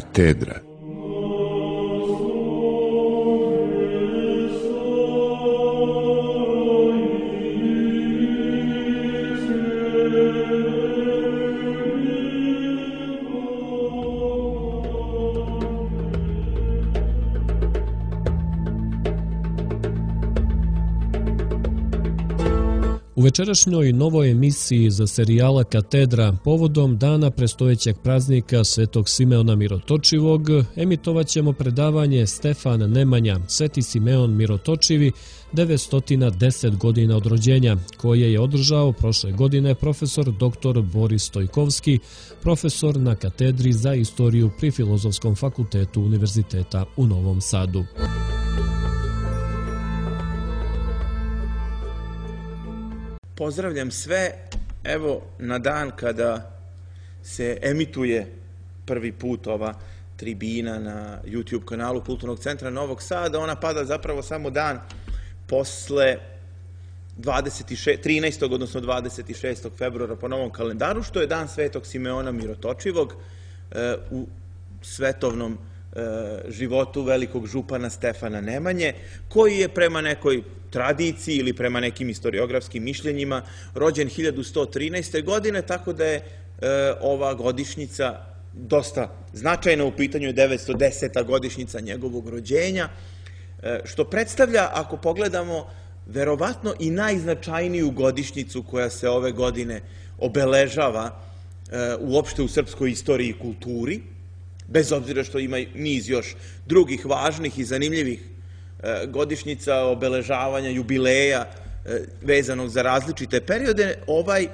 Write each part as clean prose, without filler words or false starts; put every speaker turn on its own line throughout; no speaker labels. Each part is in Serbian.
Katedra.
U večerašnjoj novoj emisiji za serijala Katedra povodom dana predstojećeg praznika Svetog Simeona Mirotočivog emitovat ćemo predavanje Stefan Nemanja, Sveti Simeon Mirotočivi, 910 godina od rođenja, koje je održao prošle godine profesor dr. Boris Stojkovski, profesor na Katedri za istoriju pri Filozofskom fakultetu Univerziteta u Novom Sadu.
Pozdravljam sve, evo na dan kada se emituje prvi put ova tribina na YouTube kanalu Kulturnog centra Novog Sada. Ona pada zapravo samo dan posle 13. odnosno 26. februara po novom kalendaru, što je dan Svetog Simeona Mirotočivog u svetovnom životu velikog župana Stefana Nemanje, koji je prema nekoj tradiciji ili prema nekim historiografskim mišljenjima rođen 1113. godine, tako da je ova godišnjica dosta značajna, u pitanju je 910. godišnjica njegovog rođenja, što predstavlja, ako pogledamo, verovatno i najznačajniju godišnjicu koja se ove godine obeležava uopšte u srpskoj istoriji i kulturi, bez obzira što ima niz još drugih važnih i zanimljivih godišnjica, obeležavanja, jubileja vezanog za različite periode. Ovaj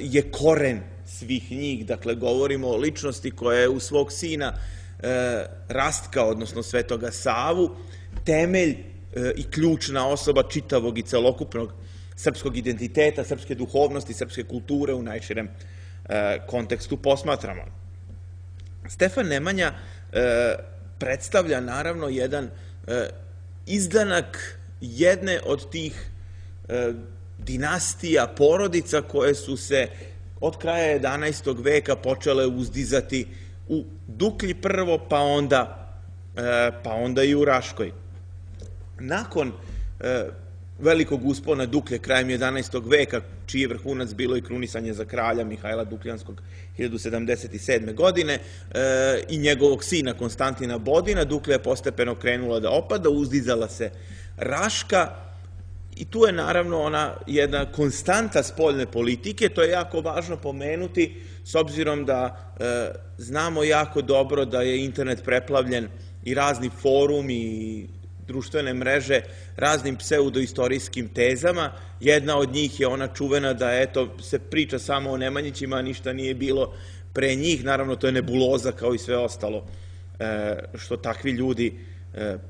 je koren svih njih, dakle govorimo o ličnosti koja je u svog sina Rastka, odnosno Svetoga Savu, temelj i ključna osoba čitavog i celokupnog srpskog identiteta, srpske duhovnosti, srpske kulture u najširem kontekstu posmatramo. Stefan Nemanja predstavlja naravno jedan izdanak jedne od tih dinastija, porodica koje su se od kraja 11. veka počele uzdizati u Duklji prvo, pa onda i u Raškoj. Nakon velikog uspona Duklje krajem 11. veka, čiji je vrhunac bilo i krunisanje za kralja Mihajla Dukljanskog 1077. godine i njegovog sina Konstantina Bodina, Duklja je postepeno krenula da opada, uzdizala se Raška i tu je naravno ona jedna konstanta spoljne politike. To je jako važno pomenuti, s obzirom da znamo jako dobro da je internet preplavljen i razni forumi i društvene mreže raznim pseudoistorijskim tezama. Jedna od njih je ona čuvena da se priča samo o Nemanjićima, a ništa nije bilo pre njih. Naravno, to je nebuloza kao i sve ostalo što takvi ljudi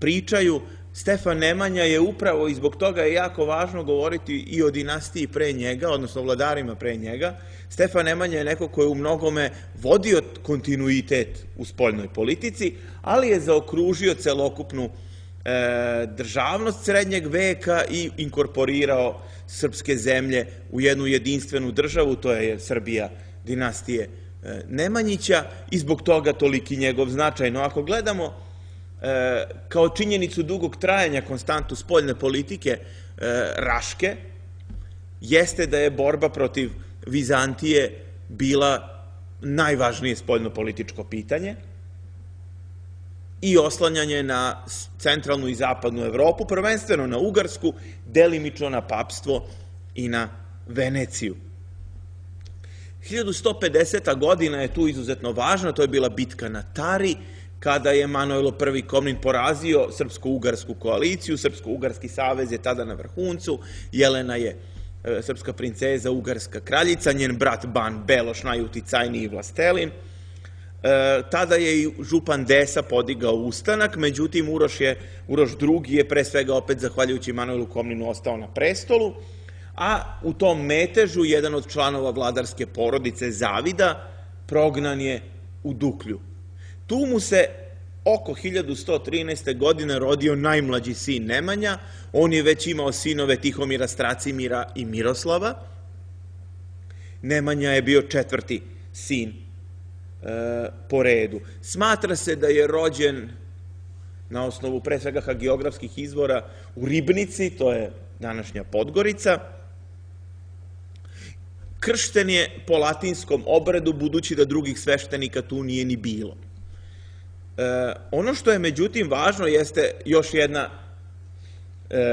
pričaju. Stefan Nemanja je upravo, i zbog toga je jako važno govoriti i o dinastiji pre njega, odnosno vladarima pre njega. Stefan Nemanja je neko ko je u mnogome vodio kontinuitet u spoljnoj politici, ali je zaokružio celokupnu državnost srednjeg veka i inkorporirao srpske zemlje u jednu jedinstvenu državu, to je Srbija dinastije Nemanjića, i zbog toga toliki njegov značaj. No, ako gledamo kao činjenicu dugog trajanja konstantu spoljne politike Raške, jeste da je borba protiv Vizantije bila najvažnije spoljno-političko pitanje i oslanjanje na centralnu i zapadnu Evropu, prvenstveno na Ugarsku, delimično na papstvo i na Veneciju. 1150. godina je tu izuzetno važna, to je bila bitka na Tari, kada je Manojlo I Komnin porazio srpsko-ugarsku koaliciju. Srpsko-ugarski savez je tada na vrhuncu, Jelena je srpska princeza, ugarska kraljica, njen brat Ban Beloš, najuticajniji vlastelin. Tada je i župan Desa podigao ustanak, međutim Uroš II je pre svega opet zahvaljujući Manojlu Komninu ostao na prestolu, a u tom metežu jedan od članova vladarske porodice, Zavida, prognan je u Duklju. Tu mu se oko 1113. godine rodio najmlađi sin Nemanja. On je već imao sinove Tihomira, Stracimira i Miroslava. Nemanja je bio četvrti sin po redu. Smatra se da je rođen na osnovu pre svega hagiografskih izvora u Ribnici, to je današnja Podgorica. Kršten je po latinskom obredu, budući da drugih sveštenika tu nije ni bilo. Ono što je međutim važno jeste još jedna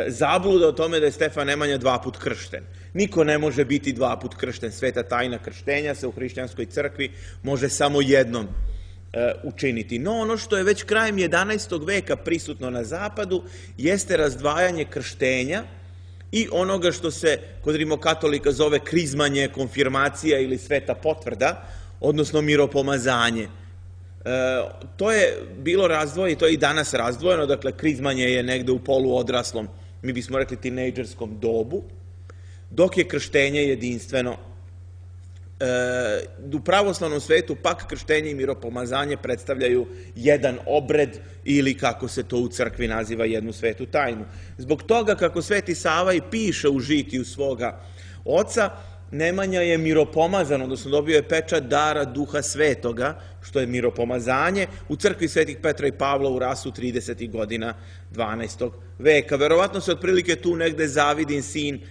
zabluda o tome da je Stefan Nemanja 2 put kršten. Niko ne može biti 2 put kršten. Sveta tajna krštenja se u hrišćanskoj crkvi može samo jednom učiniti. No ono što je već krajem 11. veka prisutno na zapadu jeste razdvajanje krštenja i onoga što se kod rimokatolika zove krizmanje, konfirmacija ili sveta potvrda, odnosno miropomazanje. To je bilo razdvojeno i to je i danas razdvojeno, dakle krizmanje je negde u poluodraslom, mi bismo rekli tinejdžerskom dobu, dok je krštenje jedinstveno. U pravoslavnom svetu pak krštenje i miropomazanje predstavljaju jedan obred ili kako se to u crkvi naziva jednu svetu tajnu. Zbog toga kako Sveti Sava i piše u žitiju svoga oca, Nemanja je miropomazan, odnosno dobio je pečat dara Duha Svetoga, što je miropomazanje, u crkvi Svetih Petra i Pavla u Rasu 30. godina 12. veka. Verovatno se otprilike tu negde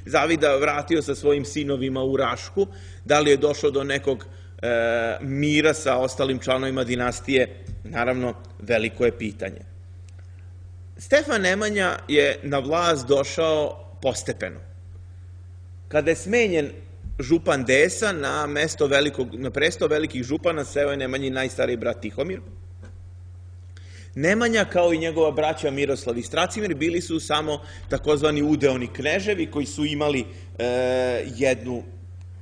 Zavida vratio sa svojim sinovima u Rašku, da li je došlo do nekog mira sa ostalim članovima dinastije, naravno veliko je pitanje. Stefan Nemanja je na vlast došao postepeno. Kada je smenjen župan Desa na presto velikih župana seo je Nemanjin najstariji brat Tihomir. Nemanja, kao i njegova braća Miroslav i Stracimir, bili su samo takozvani udeoni kneževi koji su imali jednu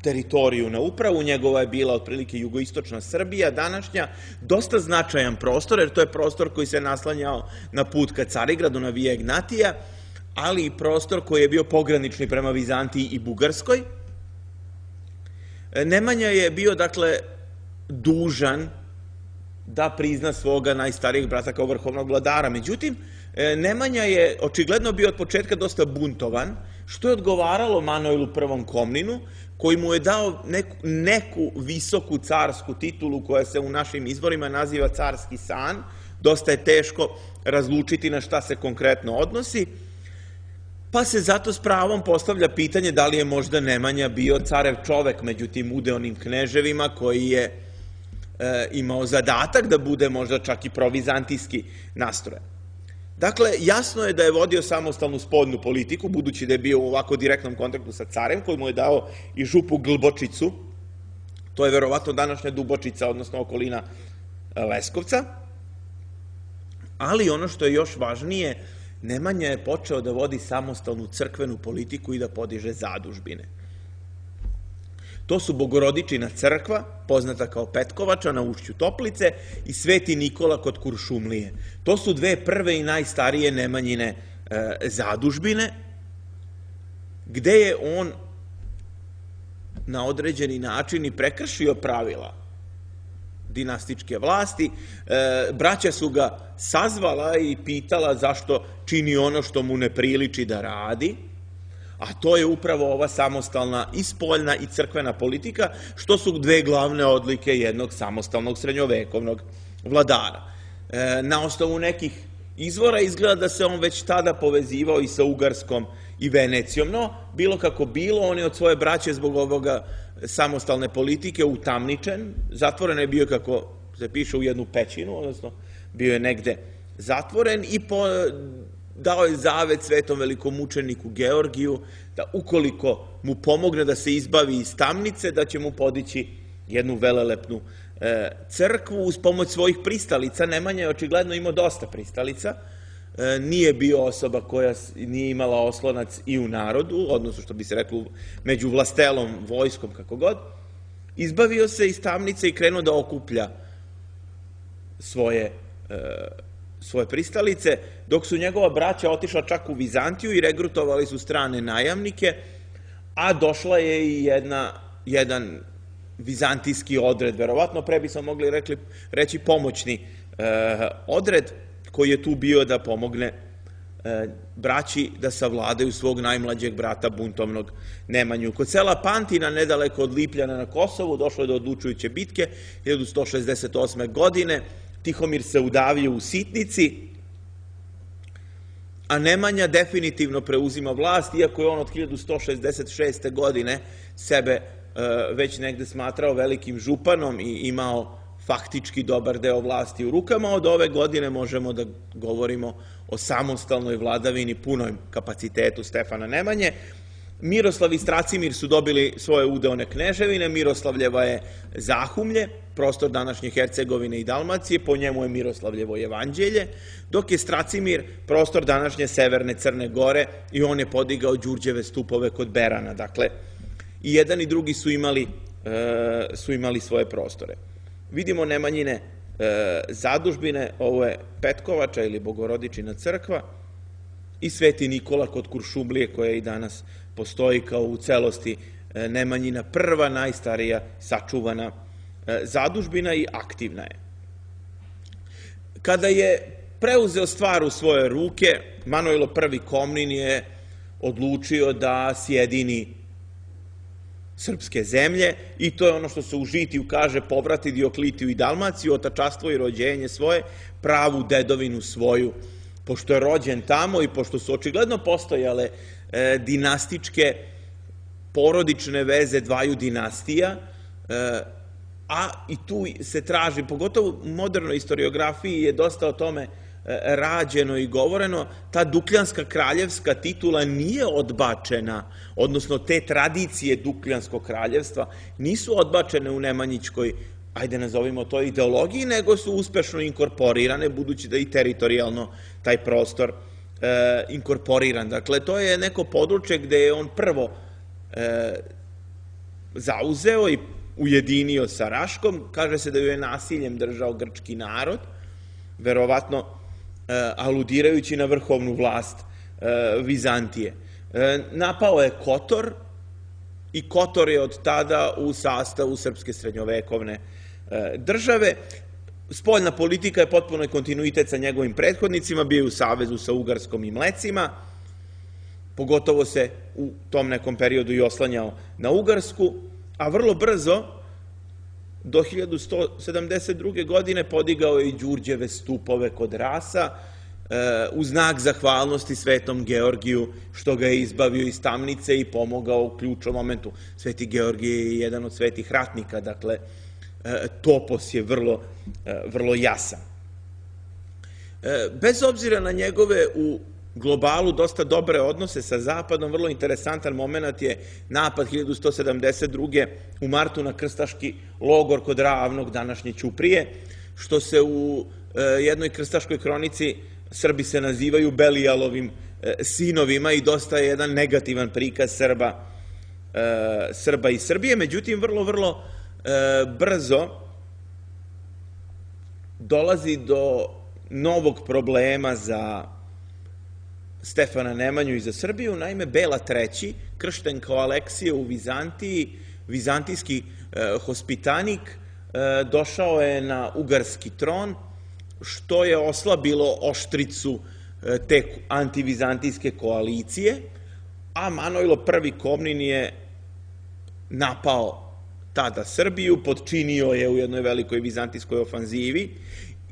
teritoriju na upravu. Njegova je bila otprilike jugoistočna Srbija, današnja, dosta značajan prostor, jer to je prostor koji se naslanjao na put ka Carigradu, na Via Ignatija, ali i prostor koji je bio pogranični prema Vizantiji i Bugarskoj. Nemanja je bio, dakle, dužan da prizna svoga najstarijeg brata kao vrhovnog vladara. Međutim, Nemanja je očigledno bio od početka dosta buntovan, što je odgovaralo Manojlu I. Komninu, koji mu je dao neku visoku carsku titulu koja se u našim izvorima naziva carski san. Dosta je teško razlučiti na šta se konkretno odnosi, pa se zato s pravom postavlja pitanje da li je možda Nemanja bio carev čovek među tim udeonim kneževima koji je imao zadatak da bude možda čak i provizantijski nastrojen. Dakle, jasno je da je vodio samostalnu spoljnu politiku, budući da je bio u ovako direktnom kontaktu sa carem, koji mu je dao i župu Glbočicu, to je verovatno današnja Dubočica, odnosno okolina Leskovca, ali ono što je još važnije, Nemanja je počeo da vodi samostalnu crkvenu politiku i da podiže zadužbine. To su Bogorodičina crkva, poznata kao Petkovača na ušću Toplice, i Sveti Nikola kod Kuršumlije. To su dve prve i najstarije Nemanjine zadužbine, gde je on na određeni način i prekršio pravila dinastičke vlasti. Braća su ga sazvala i pitala zašto čini ono što mu ne priliči da radi, a to je upravo ova samostalna i spoljna i crkvena politika, što su dve glavne odlike jednog samostalnog srednjovekovnog vladara. Na osnovu nekih izvora izgleda da se on već tada povezivao i sa Ugarskom i Venecijom, no bilo kako bilo, on je od svoje braće zbog ovoga samostalne politike utamničen, zatvoren je bio, kako se piše, u jednu pećinu, odnosno bio je negde zatvoren i dao je zavet svetom velikomučeniku Georgiju da ukoliko mu pomogne da se izbavi iz tamnice, da će mu podići jednu velelepnu crkvu uz pomoć svojih pristalica. Nemanja je očigledno imao dosta pristalica, nije bio osoba koja nije imala oslonac i u narodu, odnosno što bi se reklo među vlastelom, vojskom, kako god. Izbavio se iz tamnice i krenuo da okuplja svoje pristalice, dok su njegova braća otišla čak u Vizantiju i regrutovali su strane najamnike, a došla je i jedan vizantijski odred, verovatno pre bismo mogli reći pomoćni odred, koji je tu bio da pomogne braći da savladaju svog najmlađeg brata buntovnog Nemanju. Kod sela Pantina, nedaleko od Lipljana na Kosovu, došlo je do odlučujuće bitke 1168. godine. Tihomir se udavio u sitnici, a Nemanja definitivno preuzima vlast, iako je on od 1166. godine sebe već negde smatrao velikim županom i imao faktički dobar deo vlasti u rukama. Od ove godine možemo da govorimo o samostalnoj vladavini, punom kapacitetu Stefana Nemanje. Miroslav i Stracimir su dobili svoje udeone kneževine. Miroslavljeva je Zahumlje, prostor današnje Hercegovine i Dalmacije, po njemu je Miroslavljevo jevanđelje, dok je Stracimir prostor današnje severne Crne Gore i on je podigao Đurđeve stupove kod Berana. Dakle, i jedan i drugi su imali svoje prostore. Vidimo Nemanjine zadužbine, ovo je Petkovača ili Bogorodičina crkva i Sveti Nikola kod Kuršumlije, koja i danas postoji kao u celosti Nemanjina prva, najstarija sačuvana zadužbina i aktivna je. Kada je preuzeo stvar u svoje ruke, Manojlo I Komnin je odlučio da sjedini srpske zemlje i to je ono što se u Žitiju kaže: povrati Dioklitiju i Dalmaciju, otačastvo i rođenje svoje, pravu dedovinu svoju. Pošto je rođen tamo i pošto su očigledno postojale dinastičke porodične veze dvaju dinastija, a i tu se traži, pogotovo u modernoj historiografiji je dosta o tome rađeno i govoreno, ta Dukljanska kraljevska titula nije odbačena, odnosno te tradicije Dukljanskog kraljevstva nisu odbačene u nemanjičkoj, ajde nazovimo to, ideologiji, nego su uspešno inkorporirane, budući da i teritorijalno taj prostor inkorporiran. Dakle, to je neko područje gde je on prvo zauzeo i ujedinio sa Raškom. Kaže se da ju je nasiljem držao grčki narod, verovatno aludirajući na vrhovnu vlast Vizantije. Napao je Kotor i Kotor je od tada u sastavu srpske srednjovekovne države. Spoljna politika je potpuno kontinuitet sa njegovim prethodnicima, bio je u savezu sa Ugarskom i Mlecima, pogotovo se u tom nekom periodu i oslanjao na Ugarsku, a vrlo brzo, do 1172. godine, podigao je i Đurđeve stupove kod Rasa, u znak zahvalnosti Svetom Georgiju što ga je izbavio iz tamnice i pomogao u ključnom momentu. Sveti Georgije je jedan od svetih ratnika, dakle, topos je vrlo jasan. Bez obzira na njegove u globalu dosta dobre odnose sa Zapadom, vrlo interesantan moment je napad 1172. u martu na krstaški logor kod Ravnog, današnje Ćuprije, što se u jednoj krstaškoj kronici Srbi se nazivaju Belijalovim sinovima i dosta je jedan negativan prikaz Srba i Srbije. Međutim, vrlo brzo dolazi do novog problema za Stefana Nemanju i za Srbiju. Naime, Bela III, kršten kao Aleksije u Vizantiji, vizantijski hospitanik, došao je na ugarski tron, što je oslabilo oštricu te antivizantijske koalicije, a Manojlo I Komnin je napao tada Srbiju, potčinio je u jednoj velikoj vizantijskoj ofanzivi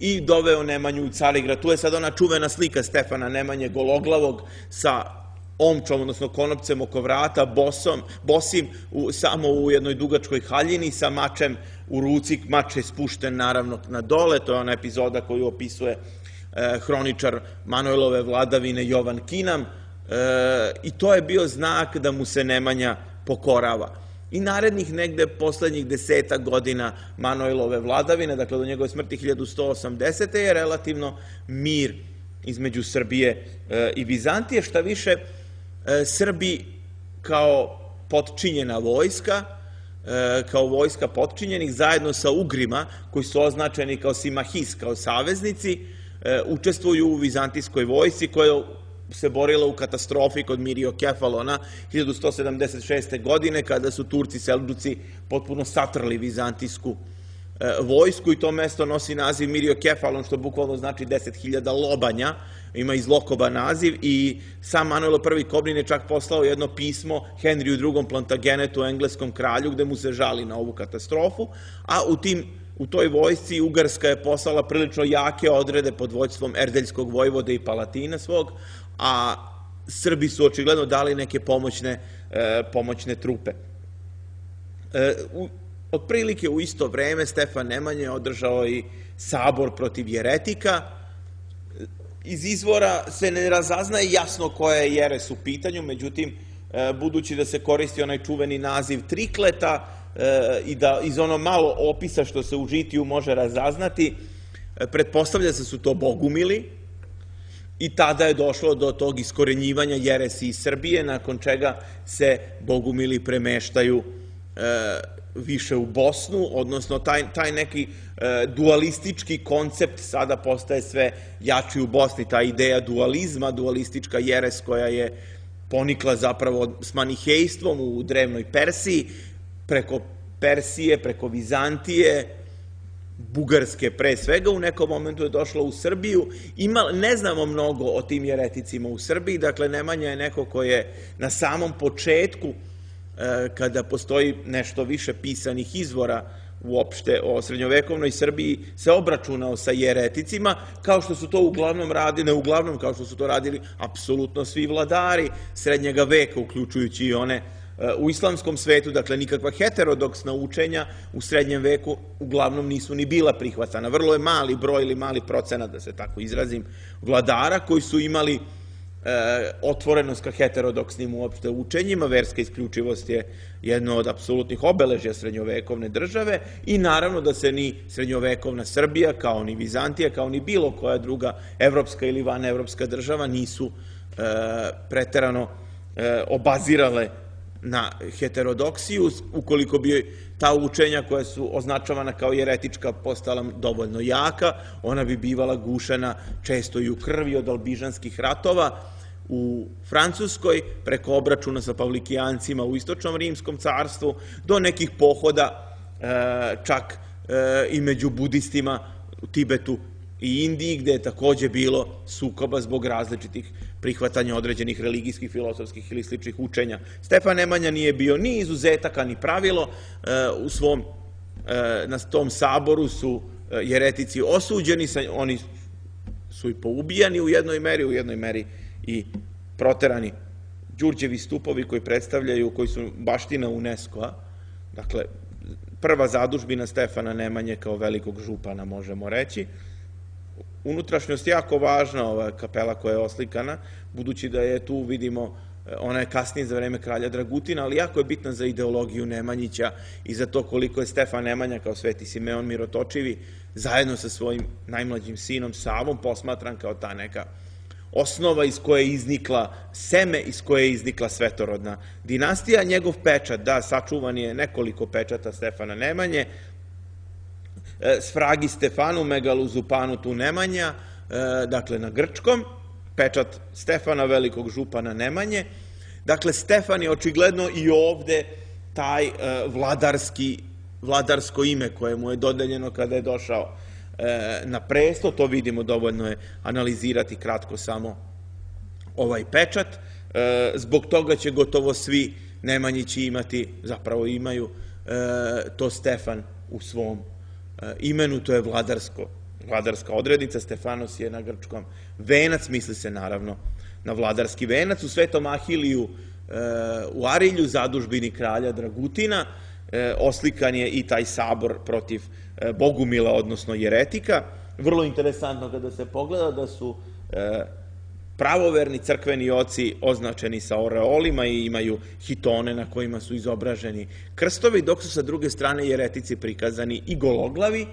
i doveo Nemanju u Carigrad. Tu je sad ona čuvena slika Stefana Nemanje gologlavog sa omčom, odnosno konopcem oko vrata, bosim, samo u jednoj dugačkoj haljini sa mačem u ruci. Mač je spušten naravno na dole, to je ona epizoda koju opisuje hroničar Manojlove vladavine Jovan Kinam, i to je bio znak da mu se Nemanja pokorava. I narednih negde poslednjih 10 godina Manojlove vladavine, dakle do njegove smrti 1180. je relativno mir između Srbije i Vizantije. Šta više, Srbi kao potčinjena vojska, kao vojska potčinjenih, zajedno sa Ugrima, koji su označeni kao Simahis, kao saveznici, učestvuju u vizantijskoj vojsci koja se borila u katastrofi kod Miriokefalona 1176. godine, kada su Turci Selđuci potpuno satrli vizantijsku vojsku i to mesto nosi naziv Miriokefalon, što bukvalno znači 10.000 lobanja, ima iz Lokoba naziv i sam Manuel I. Kobnin je čak poslao jedno pismo Henriju II. Plantagenetu, engleskom kralju, gde mu se žali na ovu katastrofu, a u toj vojsci Ugarska je poslala prilično jake odrede pod vođstvom erdeljskog vojvode i palatina svog, a Srbi su očigledno dali neke pomoćne trupe. Otprilike u isto vreme Stefan Nemanja je održao i sabor protiv jeretika. Iz izvora se ne razaznaje jasno koja je jeres u pitanju, međutim, budući da se koristi onaj čuveni naziv trikleta i da iz ono malo opisa što se u žitiju može razaznati, pretpostavlja se su to bogumili i tada je došlo do tog iskorenjivanja jeresi iz Srbije, nakon čega se bogumili premeštaju više u Bosnu, odnosno taj neki dualistički koncept sada postaje sve jači u Bosni, ta ideja dualizma, dualistička jeres koja je ponikla zapravo s manihejstvom u drevnoj Persiji, preko Persije, preko Vizantije, Bugarske pre svega, u nekom momentu je došlo u Srbiju. Ne znamo mnogo o tim jereticima u Srbiji, dakle Nemanja je neko ko je na samom početku, kada postoji nešto više pisanih izvora uopšte o srednjovekovnoj Srbiji, se obračunao sa jereticima, kao što su to uglavnom radili, ne uglavnom, kao što su to radili apsolutno svi vladari srednjega veka, uključujući i one u islamskom svetu, dakle nikakva heterodoksna učenja u srednjem veku uglavnom nisu ni bila prihvatana. Vrlo je mali broj ili mali procenat, da se tako izrazim, vladara koji su imali otvorenost ka heterodoksnim uopšte učenjima. Verska isključivost je jedno od apsolutnih obeležja srednjovekovne države i naravno da se ni srednjovekovna Srbija, kao ni Vizantija, kao ni bilo koja druga evropska ili vanevropska država nisu preterano obazirale na heterodoksiju. Ukoliko bi ta učenja koja su označavana kao jeretička postala dovoljno jaka, ona bi bivala gušena često i u krvi od albižanskih ratova u Francuskoj, preko obračuna sa Pavlikijancima u istočnom rimskom carstvu, do nekih pohoda čak i među budistima u Tibetu i Indiji, gde je takođe bilo sukoba zbog različitih prihvatanja određenih religijskih, filosofskih ili sličnih učenja. Stefan Nemanja nije bio ni izuzetaka, ni pravilo. Na tom saboru su jeretici osuđeni, oni su i poubijani u jednoj meri i proterani. Đurđevi stupovi koji su baština UNESCO-a, dakle, prva zadužbina Stefana Nemanje kao velikog župana, možemo reći. Unutrašnjost jako važna, ova kapela koja je oslikana, budući da je tu, vidimo, ona je kasnije za vreme kralja Dragutina, ali jako je bitna za ideologiju Nemanjića i za to koliko je Stefan Nemanja kao Sveti Simeon Mirotočivi zajedno sa svojim najmlađim sinom Savom posmatran kao ta neka osnova iz koje je iznikla seme, iz koje je iznikla svetorodna dinastija. Njegov pečat, da, sačuvan je nekoliko pečata Stefana Nemanje, Sfragi Stefanu, Megalu Zupanu tu Nemanja, dakle na grčkom, pečat Stefana, velikog župana Nemanje. Dakle, Stefan je očigledno i ovde taj vladarsko ime koje mu je dodeljeno kada je došao na presto. To vidimo, dovoljno je analizirati kratko samo ovaj pečat. Zbog toga će gotovo svi Nemanjići imati, zapravo imaju to Stefan u svom imenu, to je vladarska odrednica. Stefanos je na grčkom venac, misli se naravno na vladarski venac. U Svetom Ahiliju u Arilju, zadužbini kralja Dragutina, oslikan je i taj sabor protiv bogumila, odnosno jeretika. Vrlo interesantno kada se pogleda da su pravoverni crkveni oci označeni sa oreolima i imaju hitone na kojima su izobraženi krstovi, dok su sa druge strane jeretici prikazani i gologlavi,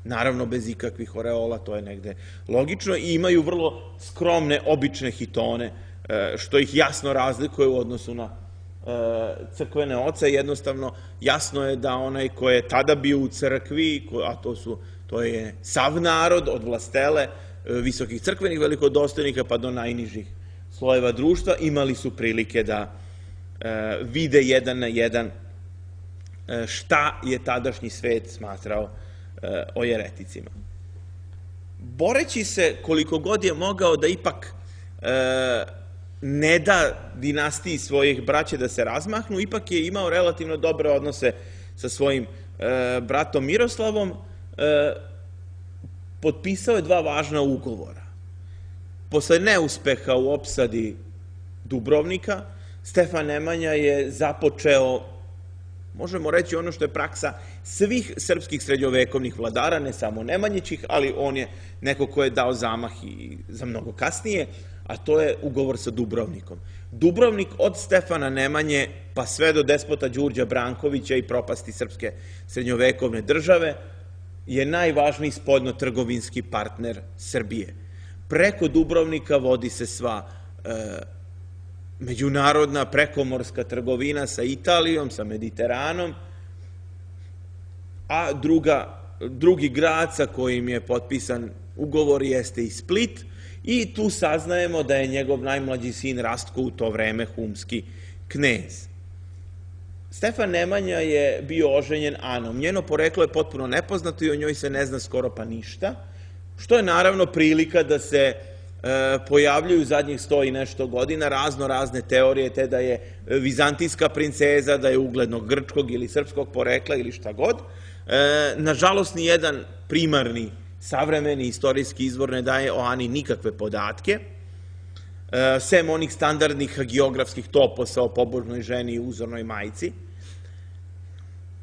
naravno bez ikakvih oreola, to je negde logično, i imaju vrlo skromne, obične hitone, što ih jasno razlikuje u odnosu na crkvene oce. Jednostavno, jasno je da onaj ko je tada bio u crkvi, a to je sav narod, od vlastele, visokih crkvenih velikodostojnika pa do najnižih slojeva društva, imali su prilike da vide jedan na jedan šta je tadašnji svet smatrao o jereticima. Boreći se koliko god je mogao da ipak ne da dinastiji svojih braće da se razmahnu, ipak je imao relativno dobre odnose sa svojim bratom Miroslavom, potpisao je 2 važna ugovora. Posle neuspeha u opsadi Dubrovnika, Stefan Nemanja je započeo, možemo reći, ono što je praksa svih srpskih srednjovekovnih vladara, ne samo Nemanjićih, ali on je neko ko je dao zamah i za mnogo kasnije, a to je ugovor sa Dubrovnikom. Dubrovnik od Stefana Nemanje pa sve do despota Đurđa Brankovića i propasti srpske srednjovekovne države je najvažniji spoljno-trgovinski partner Srbije. Preko Dubrovnika vodi se sva međunarodna prekomorska trgovina sa Italijom, sa Mediteranom, a drugi grad sa kojim je potpisan ugovor jeste i Split, i tu saznajemo da je njegov najmlađi sin Rastko u to vreme humski knez. Stefan Nemanja je bio oženjen Anom. Njeno poreklo je potpuno nepoznato i o njoj se ne zna skoro pa ništa, što je naravno prilika da se pojavljuju zadnjih 100 i nešto godina razne teorije, te da je vizantijska princeza, da je uglednog grčkog ili srpskog porekla ili šta god. Nažalost, ni jedan primarni savremeni istorijski izvor ne daje o Ani nikakve podatke, sem onih standardnih hagiografskih toposa o pobožnoj ženi i uzornoj majci.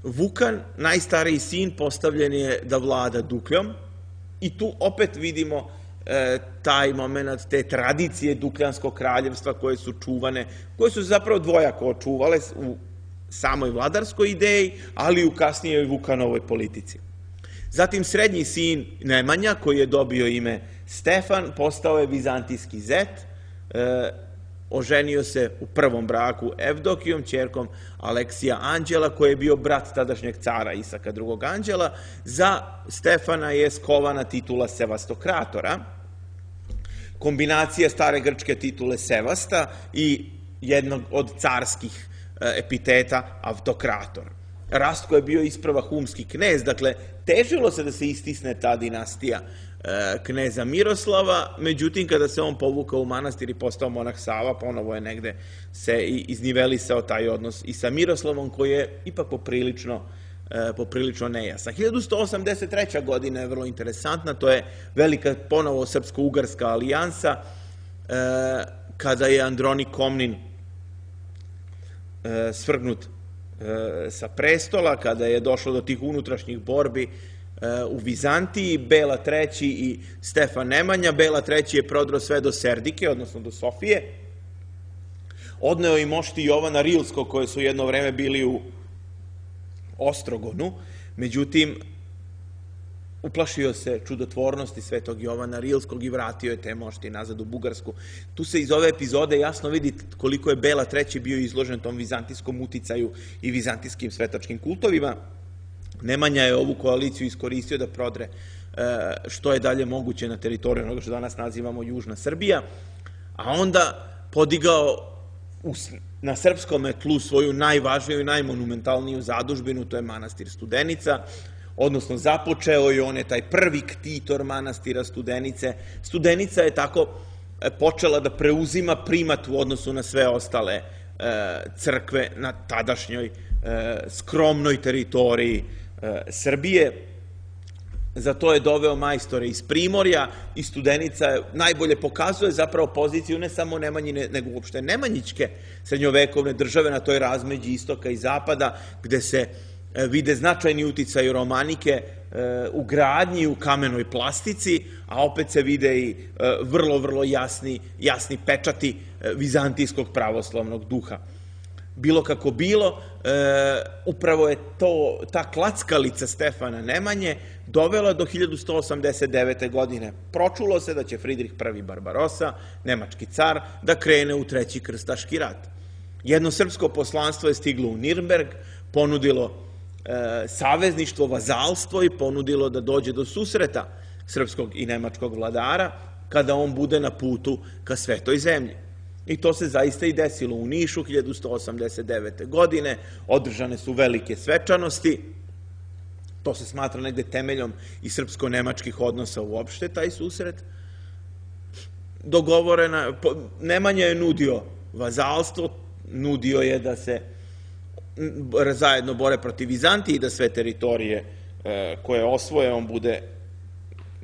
Vukan, najstariji sin, postavljen je da vlada Dukljom i tu opet vidimo taj moment, te tradicije Dukljanskog kraljevstva koje su čuvane, koje su zapravo dvojako očuvale u samoj vladarskoj ideji, ali i u kasnijoj Vukanovoj politici. Zatim srednji sin Nemanja, koji je dobio ime Stefan, postao je vizantijski zet, oženio se u prvom braku Evdokijom, ćerkom Aleksija Anđela, koji je bio brat tadašnjeg cara Isaka II. Anđela. Za Stefana je skovana titula sevastokratora, kombinacija stare grčke titule Sevasta i jednog od carskih epiteta Avtokrator. Rastko je bio isprva humski knez, dakle, težilo se da se istisne ta dinastija kneza Miroslava, međutim, kada se on povukao u manastir i postao monah Sava, ponovo je negde se iznivelisao taj odnos i sa Miroslavom, koji je ipak poprilično nejasan. 1183. godina je vrlo interesantna, to je velika ponovo srpsko-ugarska alijansa, kada je Andronik Komnin svrgnut sa prestola, kada je došlo do tih unutrašnjih borbi u Vizantiji. Bela III. I Stefan Nemanja. Bela III. Je prodro sve do Serdike, odnosno do Sofije. Odneo i mošti Jovana Rilskog, koje su jedno vreme bili u Ostrogonu. Međutim, uplašio se čudotvornosti svetog Jovana Rilskog i vratio je te mošti nazad u Bugarsku. Tu se iz ove epizode jasno vidi koliko je Bela III. Bio izložen tom vizantijskom uticaju i vizantijskim svetačkim kultovima. Nemanja je ovu koaliciju iskoristio da prodre što je dalje moguće na teritoriju onoga što danas nazivamo Južna Srbija, a onda podigao na srpskom tlu svoju najvažniju i najmonumentalniju zadužbinu, to je manastir Studenica, odnosno započeo je on je taj prvi ktitor manastira Studenice. Studenica je tako počela da preuzima primat u odnosu na sve ostale crkve na tadašnjoj skromnoj teritoriji Srbije. Za to je doveo majstore iz Primorja i Studenica najbolje pokazuje zapravo poziciju ne samo Nemanjine, nego uopšte Nemanjićke srednjovekovne države na toj razmeđi istoka i zapada, gde se vide značajni uticaj romanike u gradnji, u kamenoj plastici, a opet se vide i vrlo jasni pečati vizantijskog pravoslavnog duha. Bilo kako bilo, upravo je ta klackalica Stefana Nemanje dovela do 1189. godine. Pročulo se da će Fridrih I. Barbarosa, nemački car, da krene u Treći krstaški rat. Jedno srpsko poslanstvo je stiglo u Nirnberg, ponudilo savezništvo, vazalstvo i ponudilo da dođe do susreta srpskog i nemačkog vladara kada on bude na putu ka Svetoj zemlji. I to se zaista i desilo u Nišu 1189. godine. Održane su velike svečanosti. to se smatra negde temeljom i srpsko-nemačkih odnosa uopšte, taj susret, dogovorena, Nemanja je nudio vazalstvo, nudio je da se zajedno bore protiv Vizantije i da sve teritorije koje osvoje, on bude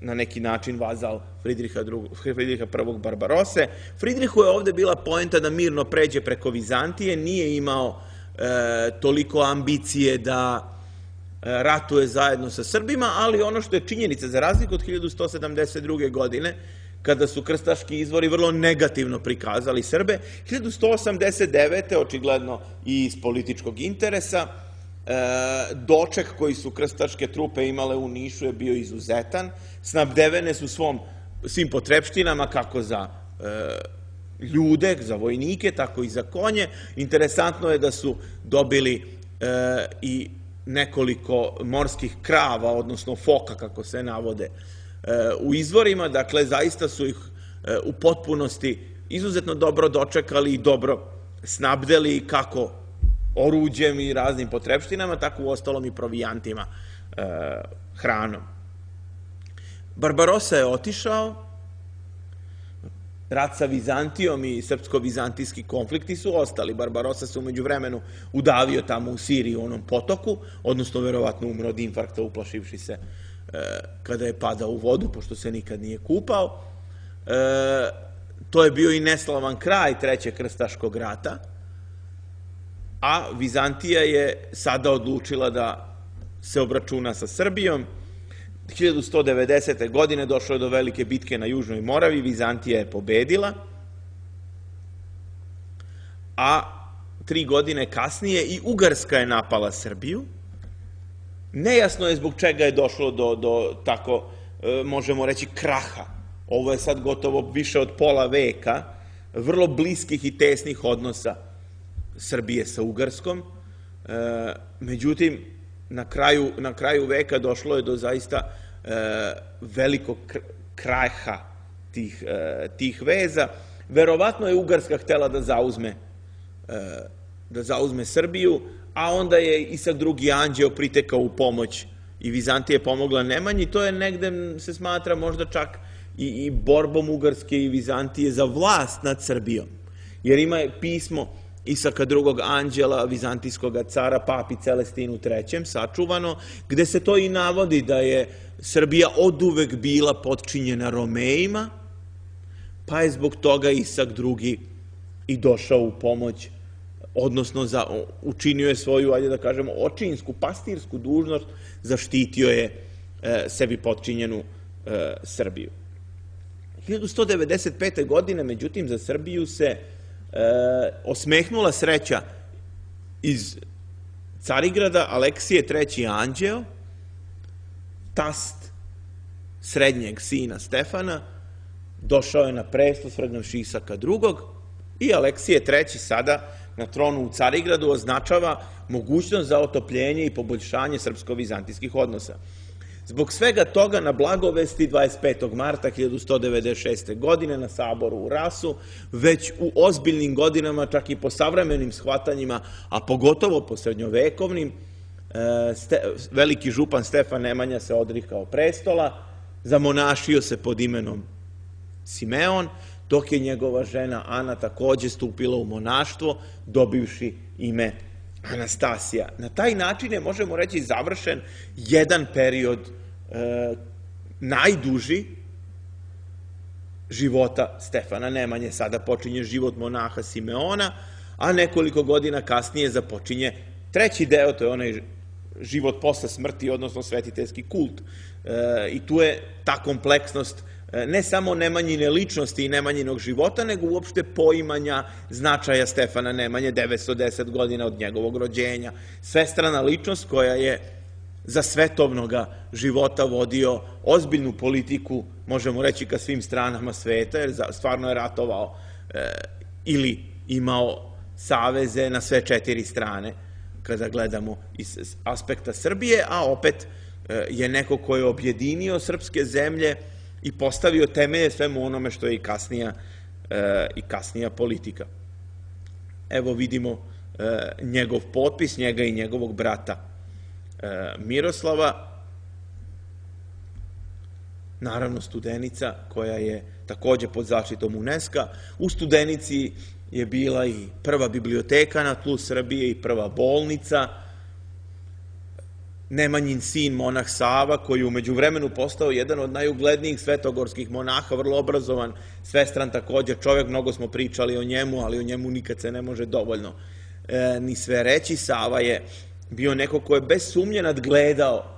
na neki način vazal Fridriha I. Barbarose. Fridrihu je ovde bila poenta da mirno pređe preko Vizantije, nije imao toliko ambicije da ratuje zajedno sa Srbima, ali ono što je činjenica, za razliku od 1172. godine, kada su krstaški izvori vrlo negativno prikazali Srbe, 1189. očigledno i iz političkog interesa, doček koji su krstaške trupe imale u Nišu je bio izuzetan, snabdevene su svim potrepštinama, kako za ljude, za vojnike, tako i za konje. Interesantno je da su dobili i nekoliko morskih krava, odnosno foka, kako se navode u izvorima, dakle, zaista su ih u potpunosti izuzetno dobro dočekali i dobro snabdeli, kako oruđem i raznim potrepštinama, tako u ostalom i provijantima, hranom. Barbarosa je otišao, rat sa Vizantijom i srpsko-vizantijski konflikti su ostali. Barbarosa se umeđu vremenu udavio tamo u Siriji u onom potoku, odnosno verovatno umro od infarkta uplašivši se kada je padao u vodu, pošto se nikad nije kupao. To je bio i neslavan kraj Trećeg krstaškog rata, a Vizantija je sada odlučila da se obračuna sa Srbijom. 1190. godine došlo je do velike bitke na Južnoj Moravi, Vizantija je pobedila, a 3 godine kasnije i Ugarska je napala Srbiju. Nejasno je zbog čega je došlo do tako, možemo reći, kraha. Ovo je sad gotovo više od pola veka vrlo bliskih i tesnih odnosa Srbije sa Ugarskom. Međutim, na kraju veka došlo je do zaista velikog kraha tih veza. Verovatno je Ugarska htela da zauzme Srbiju, a onda je Isak II. Anđeo pritekao u pomoć i Vizantija je pomogla Nemanji. To je negde, se smatra, možda čak i borbom Ugarske i Vizantije za vlast nad Srbijom. Jer ima pismo Isaka II. Anđela, vizantijskog cara, papi Celestinu III. Sačuvano, gde se to i navodi da je Srbija oduvek bila potčinjena Romejima, pa je zbog toga Isak II. I došao u pomoć, odnosno učinio je svoju, ajde da kažemo, očinsku, pastirsku dužnost, zaštitio je sebi potčinjenu Srbiju. 1195. godine, međutim, za Srbiju se osmehnula sreća iz Carigrada. Aleksije III. Anđeo, tast srednjeg sina Stefana, došao je na presto svrgnuvši Isaka II. I Aleksije III. Sada na tronu u Carigradu označava mogućnost za otopljenje i poboljšanje srpsko-vizantijskih odnosa. Zbog svega toga, na blagovesti 25. marta 1196. godine na saboru u Rasu, već u ozbiljnim godinama, čak i po savremenim shvatanjima, a pogotovo po srednjovekovnim, veliki župan Stefan Nemanja se odrikao prestola, zamonašio se pod imenom Simeon, dok je njegova žena Ana takođe stupila u monaštvo, dobivši ime Anastasija. Na taj način je, možemo reći, završen jedan period najduži života Stefana Nemanje. Sada počinje život monaha Simeona, a nekoliko godina kasnije započinje treći deo, to je onaj život posle smrti, odnosno svetiteljski kult. I tu je ta kompleksnost ne samo Nemanjine ličnosti i Nemanjinog života, nego uopšte poimanja značaja Stefana Nemanje, 910 godina od njegovog rođenja. Svestrana ličnost koja je za svetovnog života vodio ozbiljnu politiku, možemo reći, ka svim stranama sveta, jer stvarno je ratovao ili imao saveze na sve 4 strane, kada gledamo iz aspekta Srbije, a opet je neko ko je objedinio srpske zemlje i postavio temelje svemu onome što je i kasnija politika. Evo vidimo njegov potpis, njega i njegovog brata Miroslava. naravno Studenica, koja je takođe pod zaštitom UNESCO-a. U Studenici je bila i prva biblioteka na tlu Srbije i prva bolnica. Nemanjin sin, monah Sava, koji je u međuvremenu postao jedan od najuglednijih svetogorskih monaha, vrlo obrazovan, svestran takođe čovjek, mnogo smo pričali o njemu, ali o njemu nikad se ne može dovoljno ni sve reći. Sava je bio neko ko je bez sumnje nadgledao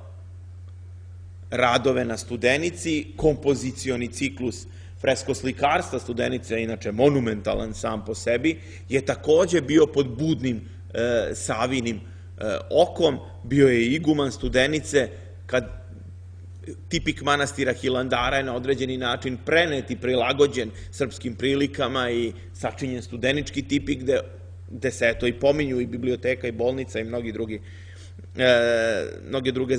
radove na Studenici, kompozicioni ciklus freskoslikarstva, Studenica je inače monumentalan sam po sebi, je takođe bio pod budnim Savinim okom, bio je iguman Studenice, kad tipik manastira Hilandara je na određeni način prenet i prilagođen srpskim prilikama i sačinjen studenički tipik, gde se eto i pominju i biblioteka i bolnica i mnoge druge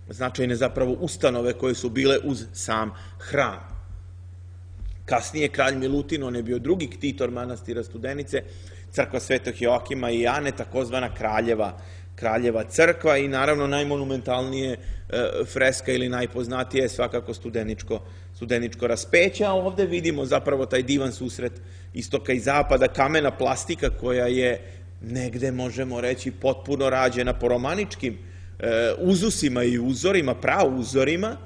značajne zapravo ustanove koje su bile uz sam hram. Kasnije kralj Milutin, on je bio drugi ktitor manastira Studenice, crkva Svetog Joakima i Ane, takozvana Kraljeva crkva, i naravno najmonumentalnije freska ili najpoznatije je svakako Studeničko raspeće, a ovde vidimo zapravo taj divan susret istoka i zapada, kamena plastika koja je negde, možemo reći, potpuno rađena po romaničkim uzusima i uzorima, prauzorima,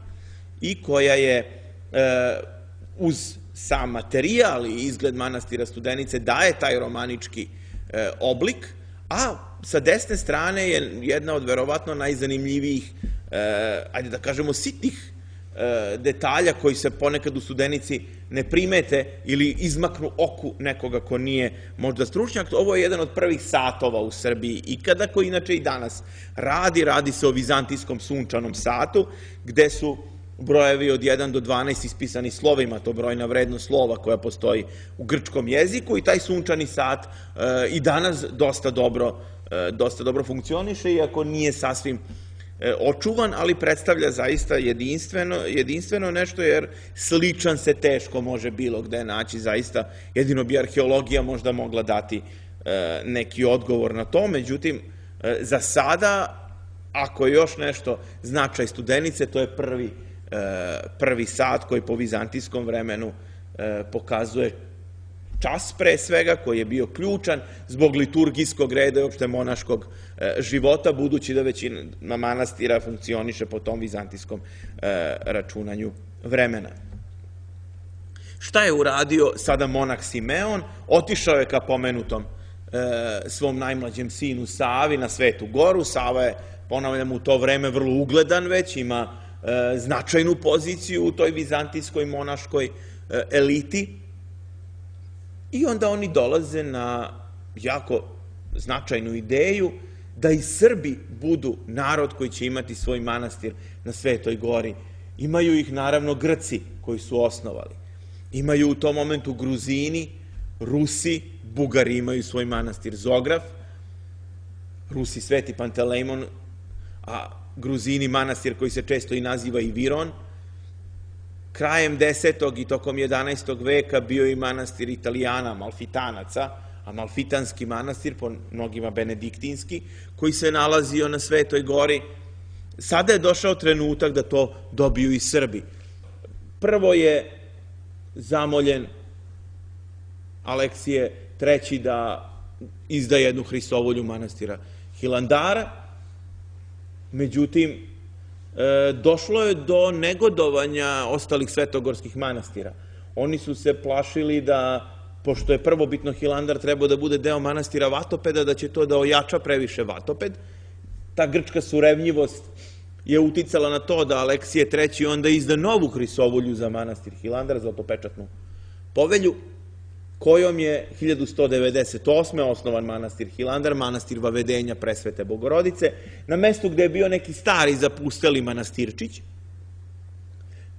i koja je uz sam materijal i izgled manastira Studenice daje taj romanički oblik, a sa desne strane je jedna od verovatno najzanimljivijih, ajde da kažemo, sitnih detalja koji se ponekad u Studenici ne primete ili izmaknu oku nekoga ko nije možda stručnjak. Ovo je jedan od prvih satova u Srbiji ikada, koji inače i danas radi se o vizantijskom sunčanom satu, gde su brojevi od 1 do 12 ispisani slovima, to brojna vrednost slova koja postoji u grčkom jeziku, i taj sunčani sat i danas dosta dobro funkcioniše, iako nije sasvim očuvan, ali predstavlja zaista jedinstveno nešto, jer sličan se teško može bilo gde naći, zaista jedino bi arheologija možda mogla dati neki odgovor na to. Međutim, za sada, ako je još nešto značaj Studenice, to je prvi sat koji po vizantijskom vremenu pokazuje čas, pre svega, koji je bio ključan zbog liturgijskog reda i opšte monaškog života, budući da većina manastira funkcioniše po tom vizantijskom računanju vremena. Šta je uradio sada monah Simeon? Otišao je ka pomenutom svom najmlađem sinu Savi na Svetu Goru. Sava je, ponavljam, u to vreme vrlo ugledan već, ima značajnu poziciju u toj vizantijskoj monaškoj eliti, i onda oni dolaze na jako značajnu ideju da i Srbi budu narod koji će imati svoj manastir na Svetoj Gori. Imaju ih naravno Grci koji su osnovali, imaju u tom momentu Gruzini, Rusi, Bugari imaju svoj manastir Zograf, Rusi Sveti Pantelejmon, a Gruzini manastir koji se često i naziva i Viron. Krajem 10. i tokom 11. veka bio i manastir Italijana, Amalfitanaca, Amalfitanski manastir, po mnogima benediktinski, koji se nalazio na Svetoj Gori. Sada je došao trenutak da to dobiju i Srbi. Prvo je zamoljen Aleksije III da izda jednu Hristovolju manastira Hilandara. Međutim, došlo je do negodovanja ostalih svetogorskih manastira. Oni su se plašili da, pošto je prvobitno Hilandar trebao da bude deo manastira Vatopeda, da će to da ojača previše Vatoped. Ta grčka surevnjivost je uticala na to da Aleksije III onda izda novu Hristovolju za manastir Hilandar, zlatopečatnu povelju, kojom je 1198. osnovan manastir Hilandar, manastir Vavedenja Presvete Bogorodice, na mestu gde je bio neki stari zapusteli manastirčić,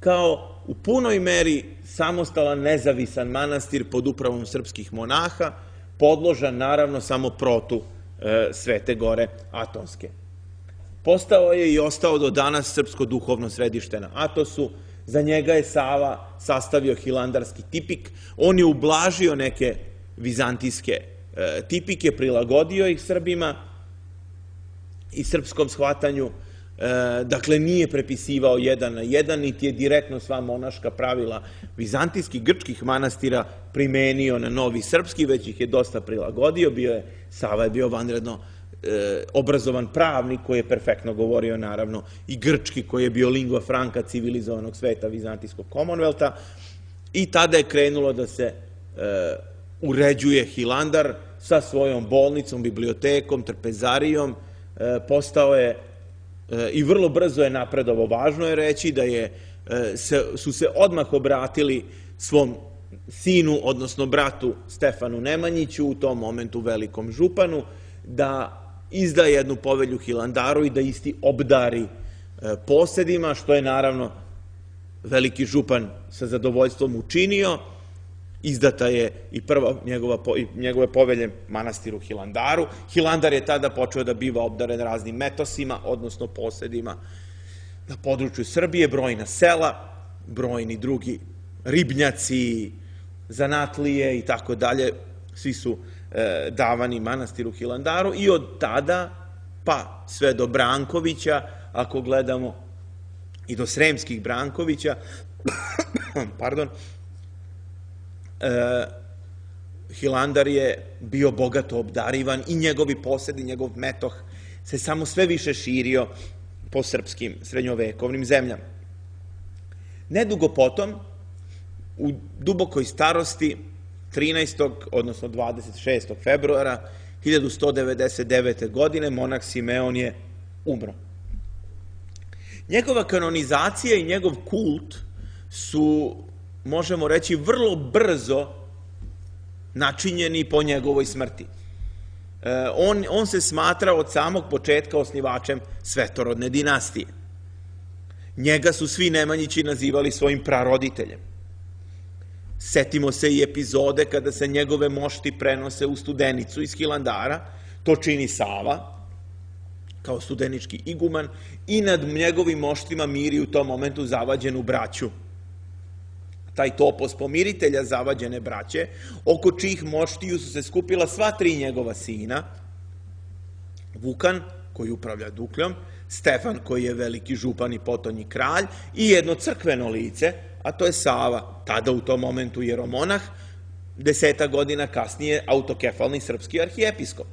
kao u punoj meri samostalan, nezavisan manastir pod upravom srpskih monaha, podložan naravno samo protu Svete Gore Atonske. Postao je i ostao do danas srpsko duhovno središte na Atosu. Za njega je Sava sastavio hilandarski tipik. On je ublažio neke vizantijske tipike, prilagodio ih Srbima i srpskom shvatanju dakle nije prepisivao jedan na jedan, niti je direktno sva monaška pravila vizantijskih, grčkih manastira primenio na novi srpski, već ih je dosta prilagodio. Sava je bio vanredno obrazovan pravnik koji je perfektno govorio naravno i grčki, koji je bio lingua franca civilizovanog sveta vizantijskog Commonwealtha, i tada je krenulo da se uređuje Hilandar sa svojom bolnicom, bibliotekom, trpezarijom. Postao je i vrlo brzo je napredovao. Važno je reći da su se odmah obratili svom sinu, odnosno bratu Stefanu Nemanjiću, u tom momentu velikom županu, da izda jednu povelju Hilandaru i da isti obdari posedima, što je naravno veliki župan sa zadovoljstvom učinio. Izdata je i prva njegove povelje manastiru Hilandaru. Hilandar je tada počeo da biva obdaren raznim metosima, odnosno posedima na području Srbije, brojna sela, brojni drugi ribnjaci, zanatlije i tako dalje, svi su davani manastiru Hilandaru, i od tada pa sve do Brankovića, ako gledamo i do Sremskih Brankovića, pardon, Hilandar je bio bogato obdarivan i njegovi posedi, njegov metoh se samo sve više širio po srpskim srednjovekovnim zemljama. Nedugo potom, u dubokoj starosti, 13. odnosno 26. februara 1199. godine, monah Simeon je umro. Njegova kanonizacija i njegov kult su, možemo reći, vrlo brzo načinjeni po njegovoj smrti. On se smatra od samog početka osnivačem svetorodne dinastije. Njega su svi Nemanjići nazivali svojim praroditeljem. Setimo se i epizode kada se njegove mošti prenose u Studenicu iz Hilandara. To čini Sava, kao studenički iguman, i nad njegovim moštima miri u tom momentu zavađenu braću. Taj topos pomiritelja zavađene braće, oko čijih moštiju su se skupila sva tri njegova sina: Vukan, koji upravlja Dukljom, Stefan, koji je veliki župan i potonji kralj, i jedno crkveno lice, a to je Sava, tada u tom momentu jeromonah, 10 godina kasnije autokefalni srpski arhijepiskop.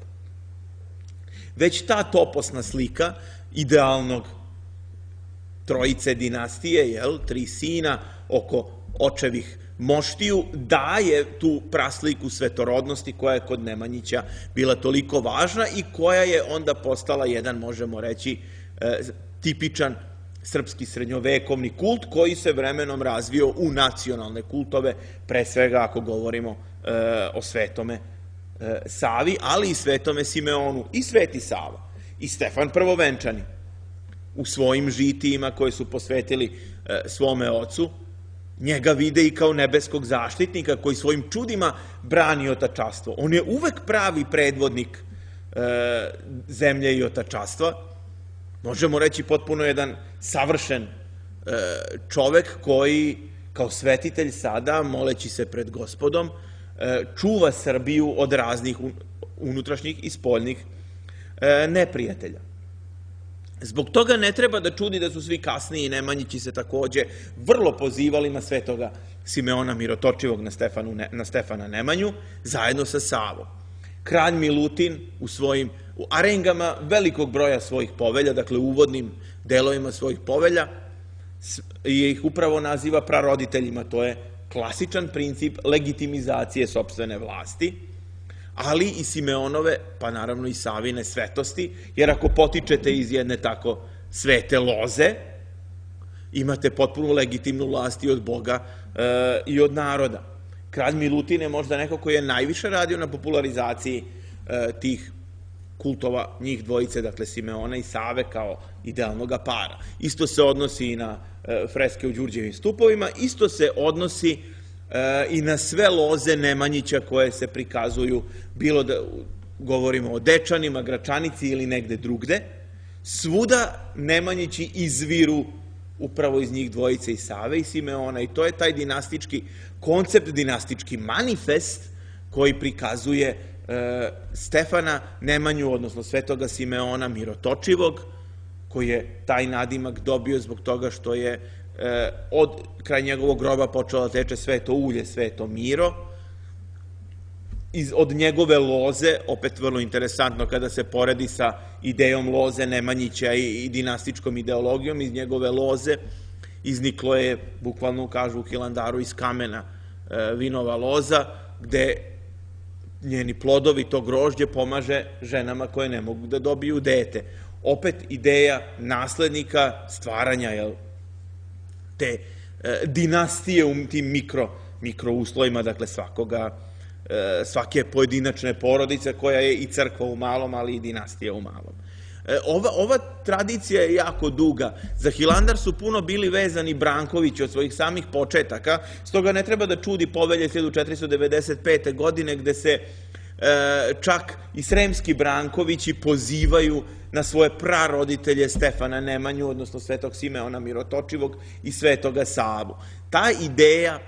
Već ta toposna slika idealnog trojice dinastije, tri sina oko očevih moštiju, daje tu prasliku svetorodnosti koja je kod Nemanjića bila toliko važna i koja je onda postala jedan, možemo reći, tipičan srpski srednjovekovni kult koji se vremenom razvio u nacionalne kultove, pre svega ako govorimo o Svetome Savi, ali i Svetome Simeonu. I Sveti Sava i Stefan Prvovenčani u svojim žitijima koje su posvetili svome ocu njega vide i kao nebeskog zaštitnika koji svojim čudima brani otačastvo. On je uvek pravi predvodnik zemlje i otačastva. Možemo reći potpuno jedan savršen čovek koji kao svetitelj sada, moleći se pred Gospodom, čuva Srbiju od raznih unutrašnjih i spoljnih neprijatelja. Zbog toga ne treba da čudi da su svi kasniji Nemanjići se takođe vrlo pozivali na svetoga Simeona Mirotočivog, na Stefana Nemanju, zajedno sa Savom. Kralj Milutin u arengama velikog broja svojih povelja, dakle u uvodnim delovima svojih povelja, ih upravo naziva praroditeljima. To je klasičan princip legitimizacije sopstvene vlasti, ali i Simeonove, pa naravno i Savine svetosti, jer ako potičete iz jedne tako svete loze, imate potpuno legitimnu vlast i od Boga i od naroda. Kralj Milutin je možda neko koji je najviše radio na popularizaciji tih kultova, njih dvojice, dakle Simeona i Save kao idealnoga para. Isto se odnosi i na freske u Đurđevim stupovima, isto se odnosi i na sve loze Nemanjića koje se prikazuju, bilo da govorimo o Dečanima, Gračanici ili negde drugde. Svuda Nemanjići izviru upravo iz njih dvojice, i Save i Simeona, i to je taj dinastički koncept, dinastički manifest koji prikazuje Stefana Nemanju, odnosno svetoga Simeona Mirotočivog, koji je taj nadimak dobio zbog toga što je od kraj njegovog groba počelo da teče sveto ulje, sveto Miro. Od njegove loze, opet vrlo interesantno kada se poredi sa idejom loze Nemanjića i dinastičkom ideologijom, iz njegove loze izniklo je, bukvalno kažu u Hilandaru, iz kamena vinova loza, gde njeni plodovi, to grožđe, pomaže ženama koje ne mogu da dobiju dete. Opet ideja naslednika, stvaranja te dinastije u tim mikrouslovima, dakle svake pojedinačne porodice koja je i crkva u malom, ali i dinastija u malom. Ova tradicija je jako duga. Za Hilandar su puno bili vezani Brankovići od svojih samih početaka, stoga ne treba da čudi Povelje 1495. godine gde se čak i sremski Brankovići pozivaju na svoje praroditelje Stefana Nemanju, odnosno svetog Simeona Mirotočivog i svetoga Savu. Ta ideja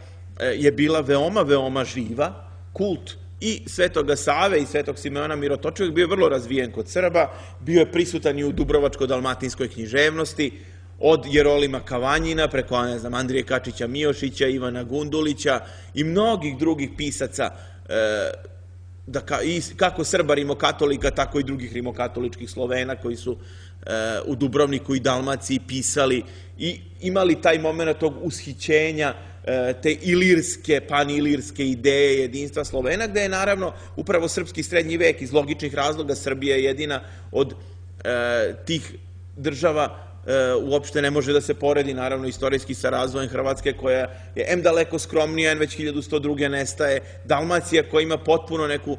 je bila veoma, veoma živa. Kult i svetoga Save i svetog Simeona Mirotočivog bio je vrlo razvijen kod Srba, bio je prisutan i u Dubrovačko-dalmatinskoj književnosti, od Jerolima Kavanjina preko, Andrije Kačića Miošića, Ivana Gundulića i mnogih drugih pisaca, kako Srba rimokatolika, tako i drugih rimokatoličkih Slovena koji su u Dubrovniku i Dalmaciji pisali i imali taj moment tog ushićenja te ilirske, panilirske ideje jedinstva Slovena, gde je naravno upravo srpski srednji vek iz logičnih razloga Srbija jedina od tih država uopšte ne može da se poredi, naravno, istorijski sa razvojem Hrvatske, koja je daleko skromnija, već 1102. nestaje, Dalmacija koja ima potpuno neku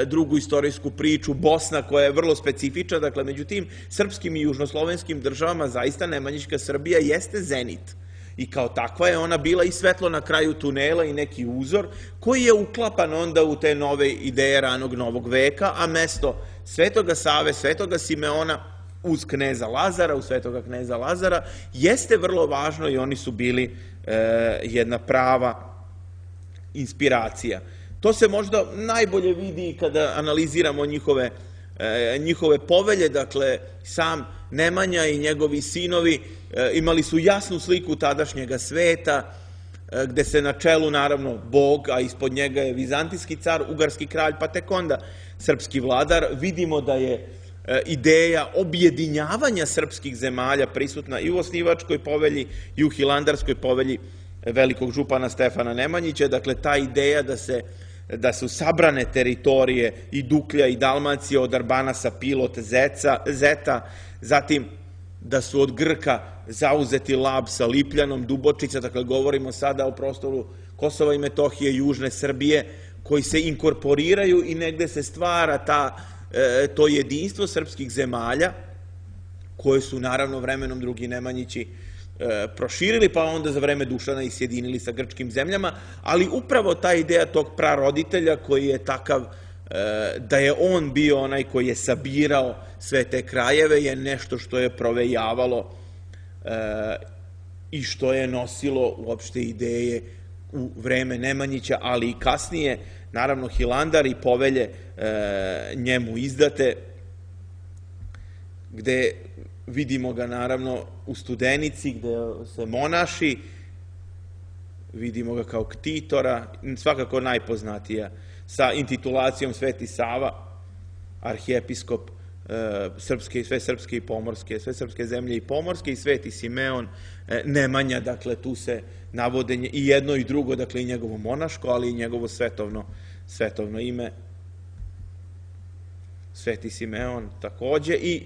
drugu istorijsku priču, Bosna koja je vrlo specifična, dakle, među tim srpskim i južnoslovenskim državama zaista Nemanjićka Srbija jeste zenit. I kao takva je ona bila i svetlo na kraju tunela i neki uzor koji je uklapan onda u te nove ideje ranog novog veka, a mesto svetoga Save, svetoga Simeona uz kneza Lazara, uz svetoga kneza Lazara, jeste vrlo važno i oni su bili jedna prava inspiracija. To se možda najbolje vidi kada analiziramo njihove povelje, dakle, sam Nemanja i njegovi sinovi imali su jasnu sliku tadašnjega sveta, gde se na čelu, naravno, Bog, a ispod njega je vizantijski car, ugarski kralj, pa tek onda srpski vladar. Vidimo da je ideja objedinjavanja srpskih zemalja prisutna i u osnivačkoj povelji i u hilandarskoj povelji velikog župana Stefana Nemanjića. Dakle, ta ideja da su sabrane teritorije i Duklja i Dalmacije od Arbanasa, Pilot, Zeta, zatim da su od Grka zauzeti Labsa, Lipljanom, Dubočica, dakle govorimo sada o prostoru Kosova i Metohije, južne Srbije, koji se inkorporiraju i negde se stvara to jedinstvo srpskih zemalja, koje su naravno vremenom drugi Nemanjići proširili, pa onda za vreme Dušana i sjedinili sa grčkim zemljama, ali upravo ta ideja tog praroditelja koji je takav da je on bio onaj koji je sabirao sve te krajeve je nešto što je provejavalo i što je nosilo uopšte ideje u vreme Nemanjića, ali i kasnije, naravno Hilandar i povelje njemu izdate, gde vidimo ga naravno u Studenici, gde se monaši, vidimo ga kao ktitora, svakako najpoznatija, sa intitulacijom Sveti Sava, arhijepiskop sve srpske i pomorske, sve srpske zemlje i pomorske, i Sveti Simeon Nemanja, dakle tu se navode i jedno i drugo, dakle i njegovo monaško, ali i njegovo svetovno ime, Sveti Simeon takođe, i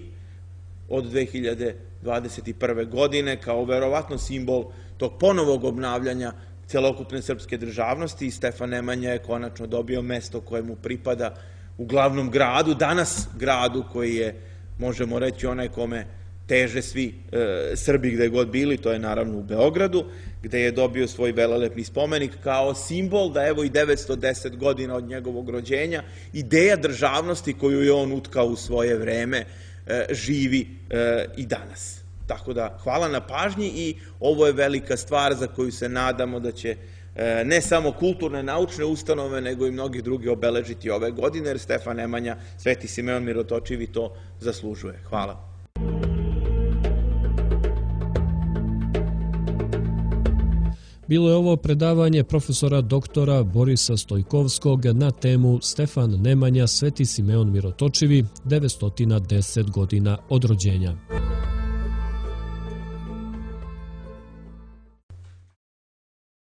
od 2021. godine kao verovatno simbol tog ponovog obnavljanja celokupne srpske državnosti, i Stefan Nemanja je konačno dobio mesto koje mu pripada u glavnom gradu, danas gradu koji je, možemo reći, onaj kome teže svi Srbi gde god bili, to je naravno u Beogradu, gde je dobio svoj velelepni spomenik kao simbol da evo i 910 godina od njegovog rođenja ideja državnosti koju je on utkao u svoje vreme živi i danas. Tako da, hvala na pažnji, i ovo je velika stvar za koju se nadamo da će ne samo kulturne, naučne ustanove, nego i mnogi drugi obeležiti ove godine, jer Stefan Nemanja, Sveti Simeon Mirotočivi to zaslužuje. Hvala.
Bilo je ovo predavanje profesora doktora Borisa Stojkovskog na temu Stefan Nemanja, Sveti Simeon Mirotočivi, 910 godina od rođenja.